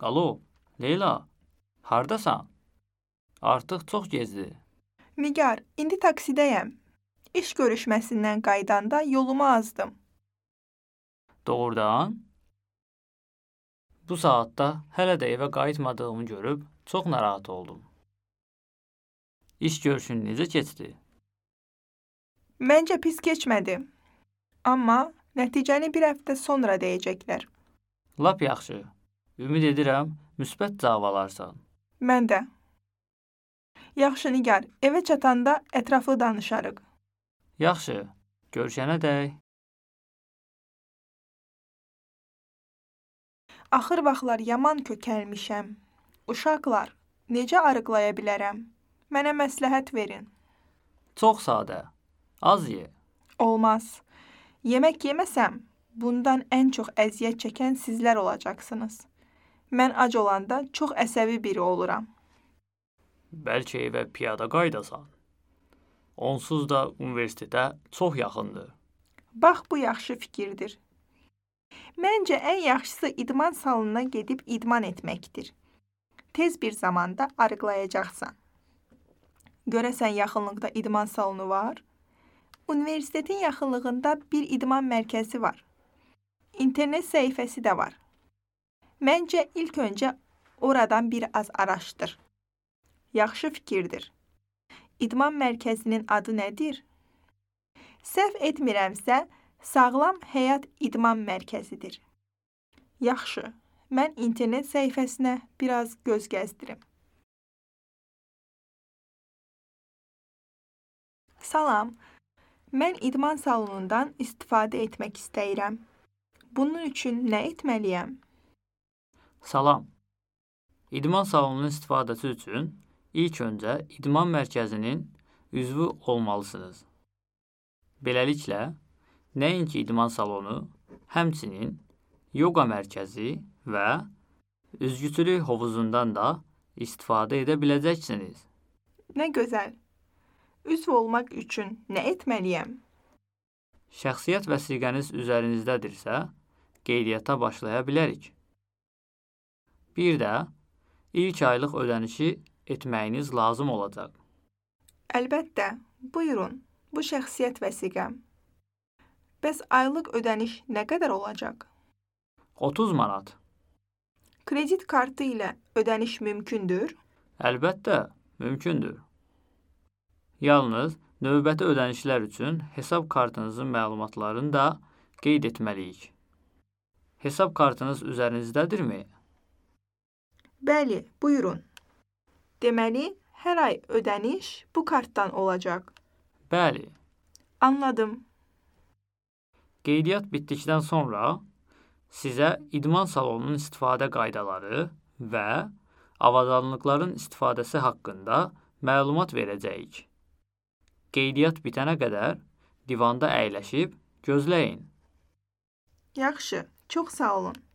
Alo, Leyla, hardasan? Artıq çox gecdir. Nigar, indi taksidəyəm. İş görüşməsindən qaydanda yolumu azdım. Doğrudan? Bu saatda hələ də evə qayıtmadığımı görüb çox narahat oldum. İş görüşün necə keçdi? Məncə pis keçmədi. Amma nəticəni bir həftə sonra deyəcəklər. Lap yaxşı. Ümid edirəm, müsbət cavab alarsan. Mən də. Yaxşı Nigar, evə çatanda ətraflı danışarıq. Yaxşı, görüşənədək. Axır vaxtlar yaman kökəlmişəm. Uşaqlar, necə arıqlaya bilərəm? Mənə məsləhət verin. Çox sadə. Az ye. Olmaz. Yemək yeməsəm, bundan ən çox əziyyət çəkən sizlər olacaqsınız. Mən ac olanda çox əsəbi biri oluram. Bəlkə evə piyada qaydasan. Onsuz da universitetə çox yaxındır. Bax, bu yaxşı fikirdir. Məncə ən yaxşısı idman salonuna gedib idman etməkdir. Tez bir zamanda arıqlayacaqsan. Görəsən yaxınlıqda idman salonu var? Universitetin yaxınlığında bir idman mərkəzi var. İnternet səhifəsi də var. Məncə ilk öncə oradan bir az araşdır. Yaxşı fikirdir. İdman mərkəzinin adı nədir? Səhv etmirəmsə, Sağlam Həyat İdman Mərkəzidir. Yaxşı, mən internet səhifəsinə biraz göz gəzdirim. Salam, mən idman salonundan istifadə etmək istəyirəm. Bunun üçün nə etməliyəm? Salam. İdman salonunun istifadəsi üçün ilk öncə idman mərkəzinin üzvü olmalısınız. Beləliklə, nəinki idman salonu, həmçinin yoga mərkəzi və üzgüçülük hovuzundan da istifadə edə biləcəksiniz. Nə gözəl. Üzv olmaq üçün nə etməliyəm? Şəxsiyyət vəsiqəniz üzərinizdədirsə, qeydiyyata başlaya bilərik. Bir də ilk aylıq ödənişi etməyiniz lazım olacaq. Əlbəttə, buyurun, bu şəxsiyyət vəsiqəm. Bəs aylıq ödəniş nə qədər olacaq? 30 manat. Kredit kartı ilə ödəniş mümkündür? Əlbəttə, mümkündür. Yalnız növbəti ödənişlər üçün hesab kartınızın məlumatlarını da qeyd etməliyik. Hesab kartınız üzərinizdədirmi? Bəli, buyurun. Deməli, hər ay ödəniş bu kartdan olacaq. Bəli. Anladım. Qeydiyyat bitdikdən sonra sizə idman salonunun istifadə qaydaları və avadanlıqların istifadəsi haqqında məlumat verəcəyik. Qeydiyyat bitənə qədər divanda əyləşib gözləyin. Yaxşı, çox sağ olun.